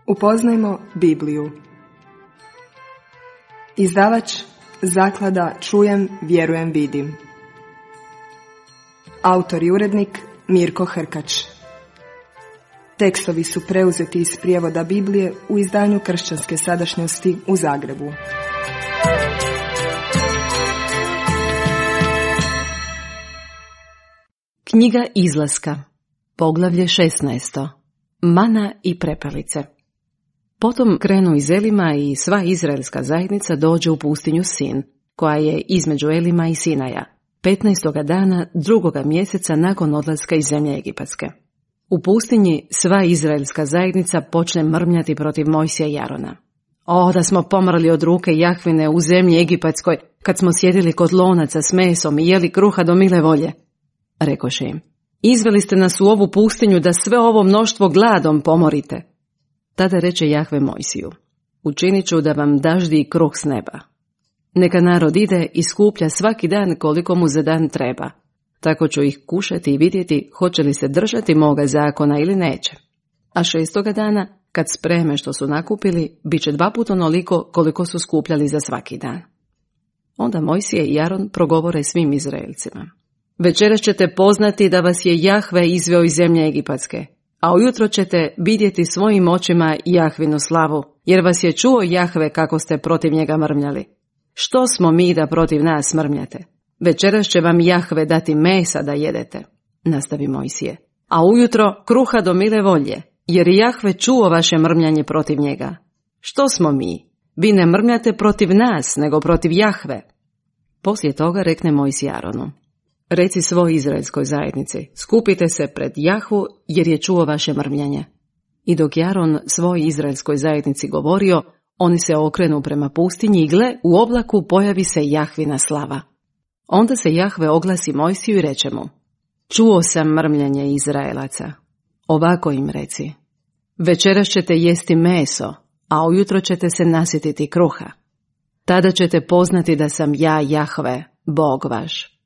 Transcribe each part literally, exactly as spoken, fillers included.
Upoznajmo Bibliju. Izdavač Zaklada Čujem, vjerujem, vidim. Autor i urednik Mirko Hrkač. Tekstovi su preuzeti iz prijevoda Biblije u izdanju Kršćanske sadašnjosti u Zagrebu. Knjiga Izlaska, poglavlje šesnaesto. Mana i prepelice. Potom krenu iz Elima i sva izraelska zajednica dođe u pustinju Sin, koja je između Elima i Sinaja, petnaestoga dana drugoga mjeseca nakon odlaska iz zemlje Egipatske. U pustinji sva izraelska zajednica počne mrmljati protiv Mojsija i Arona. O, da smo pomrli od ruke Jahvine u zemlji Egipatskoj, kad smo sjedili kod lonaca s mesom i jeli kruha do mile volje. Rekoše im, izveli ste nas u ovu pustinju da sve ovo mnoštvo gladom pomorite. Tada reče Jahve Mojsiju, učinit ću da vam daždi kruh s neba. Neka narod ide i skuplja svaki dan koliko mu za dan treba. Tako ću ih kušati i vidjeti hoće li se držati moga zakona ili neće. A šestoga dana, kad spreme što su nakupili, bit će dva puta onoliko koliko su skupljali za svaki dan. Onda Mojsije i Aron progovore svim Izraelcima. Večeras ćete poznati da vas je Jahve izveo iz zemlje Egipatske, a ujutro ćete vidjeti svojim očima Jahvinu slavu, jer vas je čuo Jahve kako ste protiv njega mrmljali. Što smo mi da protiv nas mrmljate? Večeras će vam Jahve dati mesa da jedete, nastavi Mojsije, a ujutro kruha do mile volje, jer Jahve čuo vaše mrmljanje protiv njega. Što smo mi? Vi ne mrmljate protiv nas, nego protiv Jahve. Poslije toga rekne Mojsije Aronu, reci svoj izraelskoj zajednici, skupite se pred Jahvu, jer je čuo vaše mrmljanje. I dok je Aron svoj izraelskoj zajednici govorio, oni se okrenu prema pustinji i gle, u oblaku pojavi se Jahvina slava. Onda se Jahve oglasi Mojsiju i reče mu, čuo sam mrmljanje Izraelaca. Ovako im reci, večeras ćete jesti meso, a ujutro ćete se nasititi kruha. Tada ćete poznati da sam ja Jahve, Bog vaš.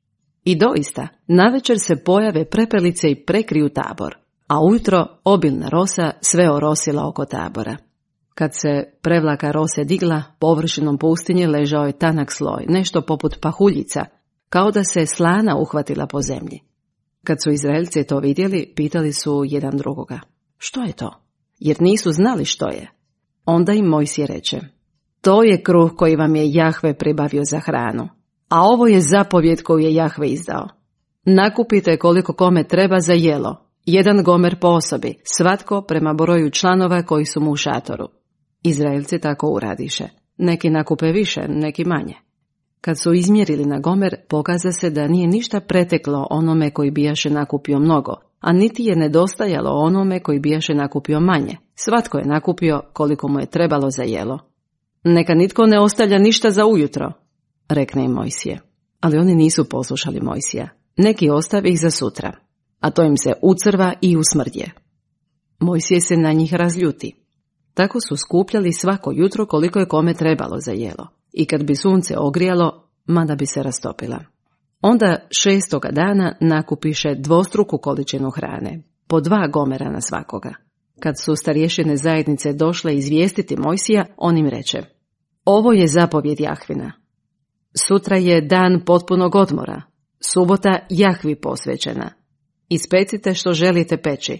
I doista, navečer se pojave prepelice i prekriju tabor, a ujutro obilna rosa sve orosila oko tabora. Kad se prevlaka rose digla, površinom pustinje ležao je tanak sloj, nešto poput pahuljica, kao da se slana uhvatila po zemlji. Kad su Izraelci to vidjeli, pitali su jedan drugoga, što je to? Jer nisu znali što je. Onda im Mojsije reče, to je kruh koji vam je Jahve pribavio za hranu. A ovo je zapovjed koju je Jahve izdao. Nakupite koliko kome treba za jelo, jedan gomer po osobi, svatko prema broju članova koji su mu u šatoru. Izraelci tako uradiše. Neki nakupe više, neki manje. Kad su izmjerili na gomer, pokaza se da nije ništa preteklo onome koji bijaše nakupio mnogo, a niti je nedostajalo onome koji bijaše nakupio manje. Svatko je nakupio koliko mu je trebalo za jelo. Neka nitko ne ostavlja ništa za ujutro, rekne im Mojsije. Ali oni nisu poslušali Mojsija. Neki ostavi ih za sutra, a to im se ucrva i usmrdje. Mojsije se na njih razljuti. Tako su skupljali svako jutro koliko je kome trebalo za jelo. I kad bi sunce ogrijalo, mada bi se rastopila. Onda šestoga dana nakupiše dvostruku količinu hrane, po dva gomera na svakoga. Kad su starješine zajednice došle izvijestiti Mojsija, on im reče, ovo je zapovjed Jahvina. Sutra je dan potpunog odmora, subota Jahvi posvećena. Ispecite što želite peći,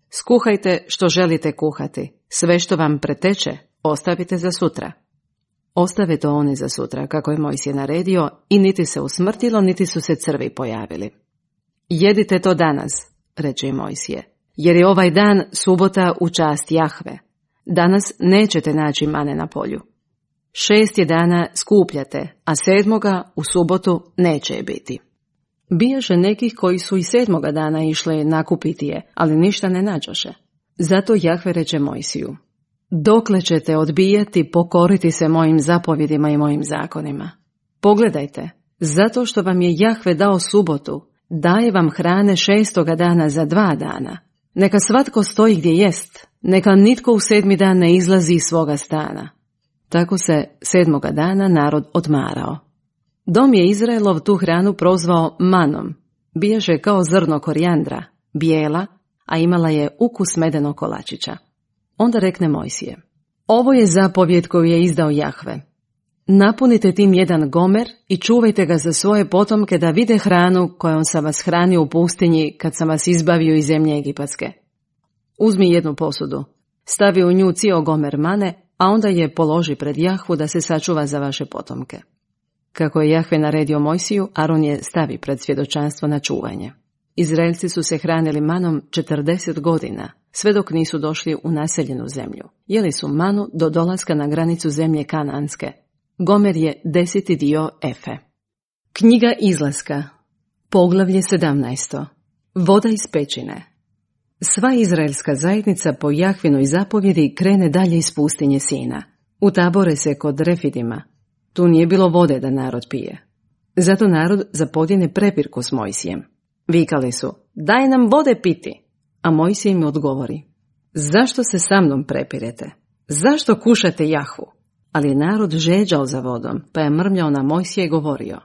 skuhajte što želite kuhati, sve što vam preteče ostavite za sutra. Ostave to oni za sutra, kako je Mojsije naredio, i niti se usmrtilo, niti su se crvi pojavili. Jedite to danas, reče im Mojsije, jer je ovaj dan subota u čast Jahve. Danas nećete naći mane na polju. Šest je dana skupljate, a sedmoga u subotu neće je biti. Bijaše nekih koji su i sedmoga dana išli nakupiti je, ali ništa ne nađoše. Zato Jahve reče Mojsiju, dokle ćete odbijati pokoriti se mojim zapovjedima i mojim zakonima? Pogledajte, zato što vam je Jahve dao subotu, daje vam hrane šestoga dana za dva dana. Neka svatko stoji gdje jest, neka nitko u sedmi dan ne izlazi iz svoga stana. Tako se sedmoga dana narod odmarao. Dom je Izraelov tu hranu prozvao manom. Bijaše kao zrno korijandra, bijela, a imala je ukus medenog kolačića. Onda rekne Mojsije: ovo je zapovjed koju je izdao Jahve. Napunite tim jedan gomer i čuvajte ga za svoje potomke da vide hranu kojom sam vas hranio u pustinji kad sam vas izbavio iz zemlje egipatske. Uzmi jednu posudu, stavi u nju cijel gomer mane, a onda je položi pred Jahvu da se sačuva za vaše potomke. Kako je Jahve naredio Mojsiju, Aron je stavi pred svjedočanstvo na čuvanje. Izraelci su se hranili manom četrdeset godina, sve dok nisu došli u naseljenu zemlju. Jeli su manu do dolaska na granicu zemlje Kananske. Gomer je deseti dio efe. Knjiga Izlaska, poglavlje sedamnaesto. Voda iz pećine. Sva izraelska zajednica po Jahvinoj zapovjedi krene dalje iz pustinje Sina. Utabore se kod Refidima. Tu nije bilo vode da narod pije. Zato narod zapodjene prepirku s Mojsijem. Vikali su: daj nam vode piti. A Mojsije im odgovori: zašto se sa mnom prepirete? Zašto kušate Jahvu? Ali je narod žeđao za vodom, pa je mrmljao na Mojsija i govorio: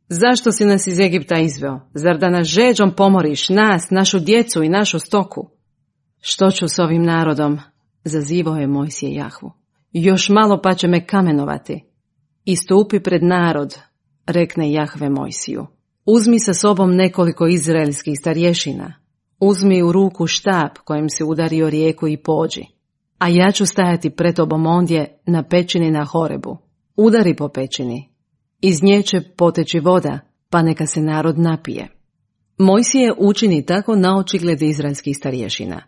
zašto si nas iz Egipta izveo? Zar da nas žeđom pomoriš, nas, našu djecu i našu stoku? Što ću s ovim narodom? Zazivao je Mojsije Jahvu. Još malo pa će me kamenovati. Istupi pred narod, rekne Jahve Mojsiju. Uzmi sa sobom nekoliko izraelskih starješina. Uzmi u ruku štap kojim si udario rijeku i pođi. A ja ću stajati pred tobom ondje na pećini na Horebu. Udari po pećini. Iz nje će poteći voda, pa neka se narod napije. Mojsije učini tako na očigled izraelskih starješina.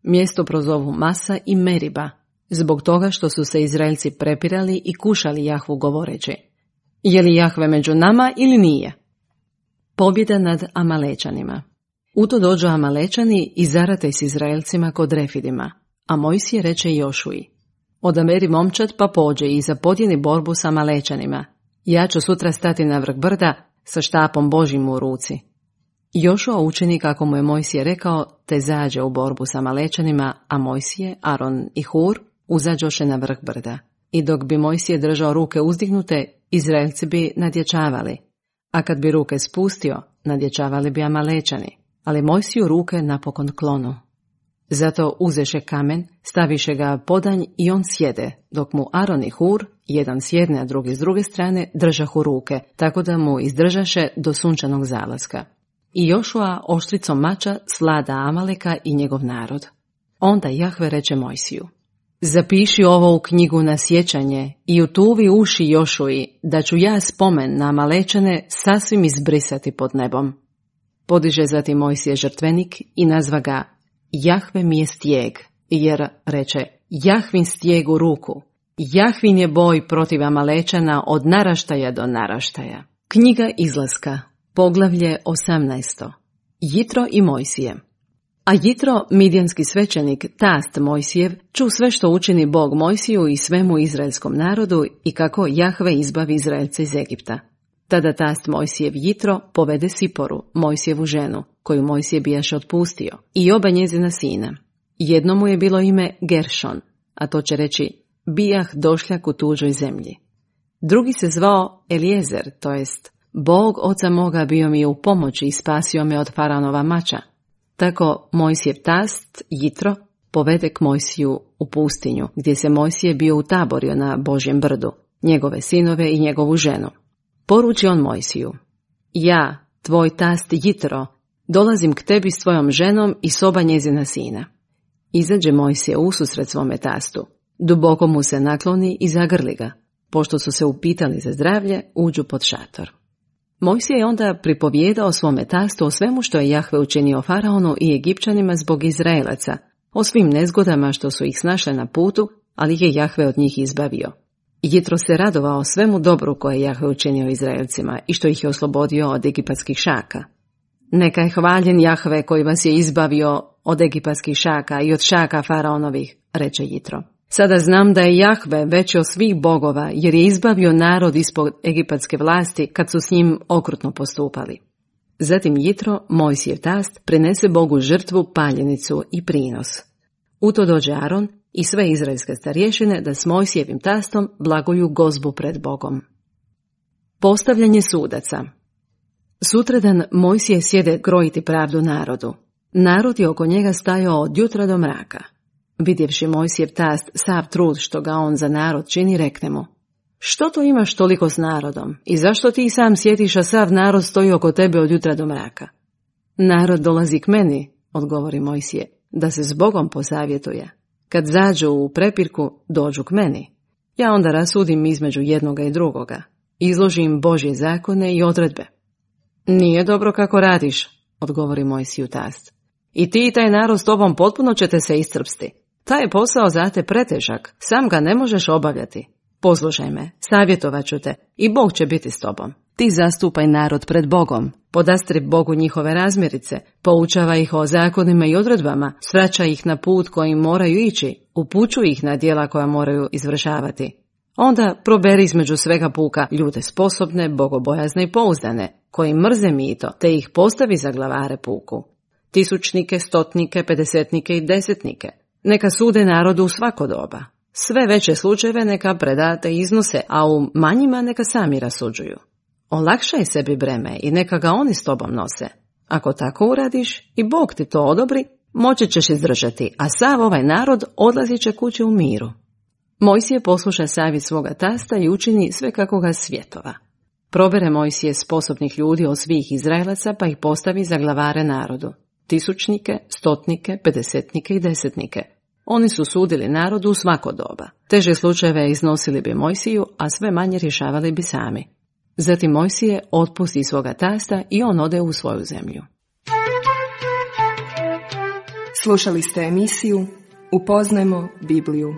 Mjesto prozovu Masa i Meriba, zbog toga što su se Izraelci prepirali i kušali Jahvu govoreći: je li Jahve među nama ili nije? Pobjeda nad Amalečanima. U to dođu Amalečani i zarate s Izraelcima kod Refidima, a Mojsije reče Jošuji: odaberi momčad pa pođe i zapodjeni borbu s Amalečanima. Ja ću sutra stati na vrh brda sa štapom Božjim u ruci. Jošua učini kako mu je Mojsije rekao, te zađe u borbu s Amalečanima, a Mojsije, Aron i Hur uzađoše na vrh brda. I dok bi Mojsije držao ruke uzdignute, Izraelci bi nadječavali, a kad bi ruke spustio, nadječavali bi Amalečani, ali Mojsiju ruke napokon klonu. Zato uzeše kamen, staviše ga podanj i on sjede, dok mu Aron i Hur, jedan s jedne, a drugi s druge strane, držahu ruke, tako da mu izdržaše do sunčanog zalaska. I Jošua oštricom mača slada Amaleka i njegov narod. Onda Jahve reče Mojsiju: zapiši ovo u knjigu na sjećanje i utuvi uši Jošuji, da ću ja spomen na Amalečane sasvim izbrisati pod nebom. Podiže zatim Mojsije žrtvenik i nazva ga: Jahve mi je stijeg, jer reče: Jahvin stijeg u ruku. Jahvin je boj protiv Amalečana od naraštaja do naraštaja. Knjiga Izlaska, poglavlje osamnaesto. Jitro i Mojsije. A Jitro, midjanski svećenik, tast Mojsijev, ču sve što učini Bog Mojsiju i svemu izraelskom narodu i kako Jahve izbavi Izraelce iz Egipta. Tada tast Mojsijev Jitro povede Siporu, Mojsijevu ženu, koju Mojsije bijaše otpustio, i oba njezina sina. Jedno mu je bilo ime Geršon, a to će reći: bijah došljak u tuđoj zemlji. Drugi se zvao Eliezer, to jest: Bog oca moga bio mi je u pomoći i spasio me od faraonova mača. Tako Mojsijev tast, Jitro, povede k Mojsiju u pustinju, gdje se Mojsije bio utaborio na Božjem brdu, njegove sinove i njegovu ženu. Poruči on Mojsiju: ja, tvoj tast Jitro, dolazim k tebi s tvojom ženom i s oba njezina sina. Izađe Mojsije ususret svome tastu, duboko mu se nakloni i zagrli ga. Pošto su se upitali za zdravlje, uđu pod šator. Mojsije je onda pripovjedao svome tastu o svemu što je Jahve učinio faraonu i Egipćanima zbog Izraelaca, o svim nezgodama što su ih snašle na putu, ali je Jahve od njih izbavio. Jitro se radovao svemu dobru koje je Jahve učinio Izraelcima i što ih je oslobodio od egipatskih šaka. Neka je hvaljen Jahve koji vas je izbavio od egipatskih šaka i od šaka faraonovih, reče Jitro. Sada znam da je Jahve veći od svih bogova, jer je izbavio narod ispod egipatske vlasti kad su s njim okrutno postupali. Zatim Jitro, Mojsijev tast, prinese Bogu žrtvu, paljenicu i prinos. U to dođe Aron i sve izraelske starješine da s Mojsijevim tastom blaguju gozbu pred Bogom. Postavljanje sudaca. Sutradan Mojsije sjede krojiti pravdu narodu. Narod je oko njega stajao od jutra do mraka. Vidjevši Mojsijev tast sav trud što ga on za narod čini, rekne mu: Što to imaš toliko s narodom i zašto ti sam sjetiš, a sav narod stoji oko tebe od jutra do mraka? Narod dolazi k meni, odgovori Mojsije, da se s Bogom posavjetuje. Kad zađu u prepirku, dođu k meni. Ja onda rasudim između jednoga i drugoga. Izložim Božje zakone i odredbe. Nije dobro kako radiš, odgovori Mojsiju tast. I ti i taj narod s tobom potpuno ćete se iscrpsti. Taj je posao za te pretežak, sam ga ne možeš obavljati. Poslušaj me, savjetovat ću te i Bog će biti s tobom. Ti zastupaj narod pred Bogom, podastri Bogu njihove razmirice, poučava ih o zakonima i odredbama, svraća ih na put kojim moraju ići, upućuj ih na djela koja moraju izvršavati. Onda proberi između svega puka ljude sposobne, bogobojazne i pouzdane, koji mrze mito, te ih postavi za glavare puku. Tisućnike, stotnike, pedesetnike i desetnike. Neka sude narodu u svako doba. Sve veće slučajeve neka predate iznose, a u manjima neka sami rasuđuju. Olakšaj sebi breme i neka ga oni s tobom nose. Ako tako uradiš i Bog ti to odobri, moći ćeš izdržati, a sav ovaj narod odlazit će kući u miru. Mojsije posluša savjet svoga tasta i učini sve kako ga svjetova. Probere Mojsije sposobnih ljudi od svih Izraelaca pa ih postavi za glavare narodu. Tisućnike, stotnike, pedesetnike i desetnike. Oni su sudili narodu u svako doba. Teže slučajeve iznosili bi Mojsiju, a sve manje rješavali bi sami. Zatim Mojsije otpusti svoga tasta i on ode u svoju zemlju. Slušali ste emisiju Upoznajmo Bibliju.